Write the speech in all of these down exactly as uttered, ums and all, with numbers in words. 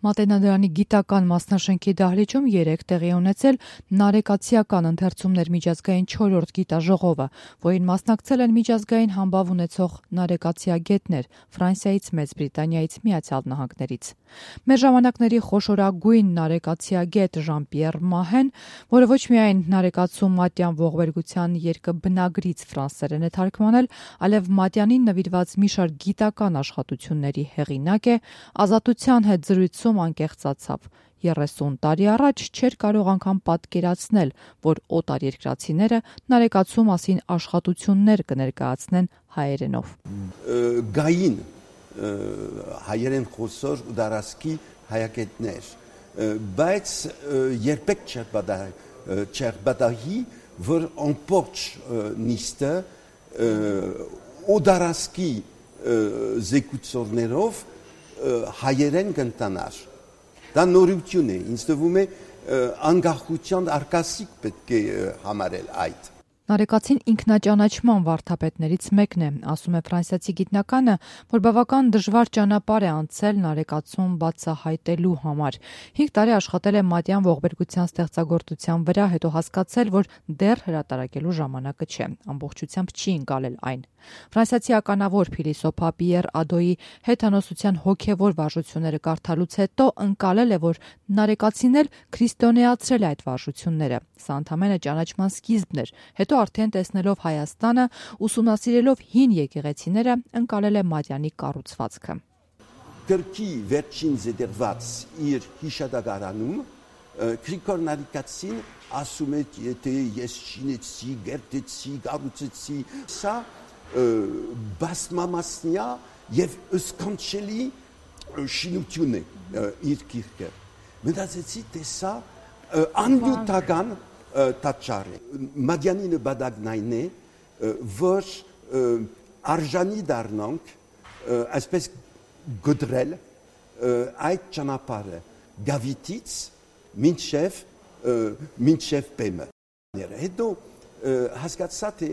Մատենադարանի գիտական մասնաշենքի դահլիճում երեկ տեղի ունեցել նարեկացիական ընթերցումներ միջազգային չորրորդ գիտաժողովը, որին մասնակցել են միջազգային համբավ ունեցող նարեկացիագետներ Ֆրանսիայից, Մեծ Բրիտանիայից, Միացյալ Նահանգներից։ Մեր ժամանակների խոշորագույն նարեկացիագետ Ժան-Պիեր Մահեն, որը ոչ միայն նարեկացու մատյան ողբերգության երկը բնագրից ֆրանսերեն է թարգմանել, այլև մատյանին նվիրված մի շարք գիտական աշխատությունների հեղինակ է, Ազատության հետ զրույցում անկեղծացավ. երեսուն տարի առաջ չէր կարող անգամ պատկերացնել, որ օտարերկրացիները նարեկացու մասին աշխատություններ կներկայացնեն հայերենով։ Գային հայերեն խոսոր ու դարասկի հայագետներ, բայց երբեք չէր բադահի, որ ամբողջ նիստը օդարասկի զեկուցողներով հայերեն կընտանար։ Դա նորություն է, ինձ թվում է անկախության արկասիկ պետք է համարել այդ։ Նարեկացին ինքնաճանաչման վարդապետներից մեկն է, ասում է ֆրանսիացի գիտնականը, որ բավական դժվար ճանապարհ է անցել նարեկացուն բացահայտելու համար։ Հինգ տարի աշխատել է մատյան ողբերգության ստեղծագործության վրա, հետո հասկացել, որ դեռ հրատարակելու ժամանակը չէ, ամբողջությամբ չի ընկալել այն։ Ֆրանսիացի ականավոր փիլիսոփա Պիեր Ադոյի հեթանոսության հոգևոր վարժությունները կարդալուց հետո ընկալել է, որ նարեկացին էլ քրիստոնեացրել է այդ վարժությունները։ Սա ընդամենը ճանաչման սկիզբն էր, հետո արդեն տեսնելով Հայաստանը, ուսումնասիրելով հին եկեղեցիները, ընկալել է մատյանի կառուցվածքը։ Գրքի վերջին զետերված իր հիշադակարանում Գրիգոր Նարեկացին ասում է, եթե ես շինեցի, գերտեցի, կառուցեցի, սա բազմամասնյա եւ ըսկանչելի շինություն է իր գիրքը։ Մտածեցի, թե սա անյութական տաճար է։ Մատյանի նպատակն այն է, որ արժանի դառնանք այսպես գդրել այդ ճանապարհը Գավիթից մինչև մինչև Բեմը։ Հետո հասկացա, թե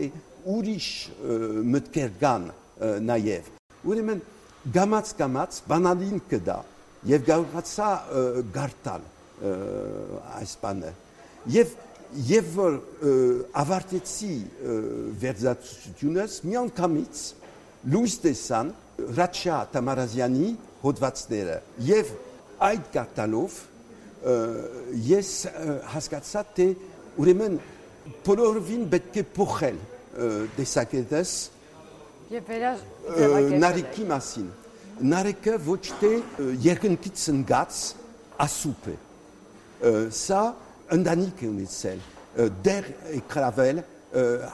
ուրիշ մտքեր կան նաև։ Ուրեմն գամած-գամած բանալին կդա եւ կարողացա գարտալ այս բանը։ Եվ Եվ որ ավարտեցի վերջացությունս, մի անգամից լույս տեսան Հրաչյա Թամարազյանի հոդվածները եւ այդ գարտալով ես հասկացա, թե ուրեմն բոլորովին պետք է փոխել տեսակետս նարեկի մասին։ Նարեկը ոչ թե երկնքից ընկած ասուփ է։ Սա ընտանիք է ունեցել, դեր է գրավել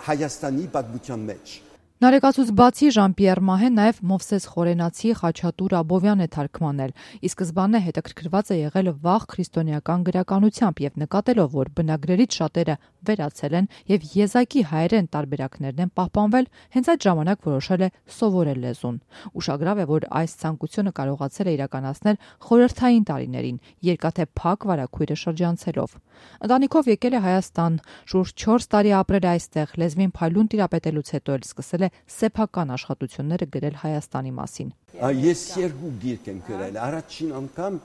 Հայաստանի պատմության մեջ։ Նարեկացուց բացի Ժան-Պիեր Մահեն նաև Մովսես Խորենացի Խաչատուր Աբովյան է թարգմանել, ի սկզբանե հետաքրքրված է եղել վաղ քրիստոնեական գրականությամբ եւ նկատելով, որ բնագրերից շատերը վերացել են եւ եզակի հայերեն տարբերակներն են պահպանվել, հենց այդ ժամանակ որոշել է սովորել լեզուն։ Ուշագրավ է, որ այս ցանկությունը կարողացել է իրականացնել խորհրդային տարիներին, երկաթե փակ վարագույրը շրջանցելով։ Ընտանիքով եկել է Հայաստան, շուրջ չորս տարի ապրել է այստեղ, լեզվին փայլուն տիրապետելուց հետո էլ սկսել է սեփական աշխատությունները գրել Հայաստանի մասին։ Ես երկու գիրք եմ գրել, առաջին անգամ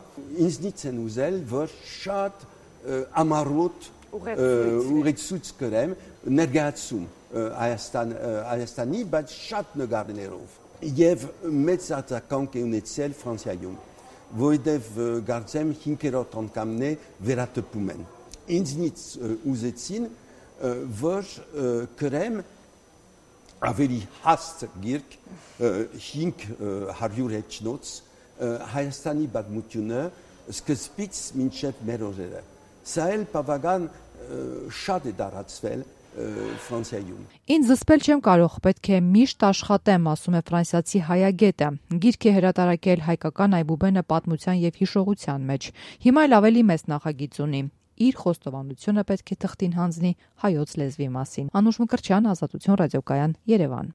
ինձնից են ուզել, որ շատ ամառոտ ուղեցույց գրեմ, ներկայացում Հայաստանի, բայց շատ նկարներով։ Եվ մեծ արձագանք է ունեցել Ֆրանսիայում, որովհետև կարծեմ հինգերորդ անգամն է վերատպում են։ Ինձնից ուզեցին, որ գրեմ ավելի հաստ գիրք հինգ հարյուր էջնոց Հայաստանի պատմությունը սկզբից մինչև մեր օրերը։ Սա էլ բավական շատ է տարածվել Ֆրանսիայում։ Ինձ զսպել չեմ կարող, պետք է միշտ աշխատեմ, ասում է ֆրանսիացի հայագետը։ Գիրք է հրատարակել հայկական Այբուբենը պատմության եւ հիշողության մեջ։ Հիմա էլ ավելի մեծ նախագիծ ունի։ Իր խոստովանությունը պետք է թղթին հանձնի հայոց լեզվի մասին։ Անուշ Մկրտչյան, Ազատություն ռադիոկայան, Երևան։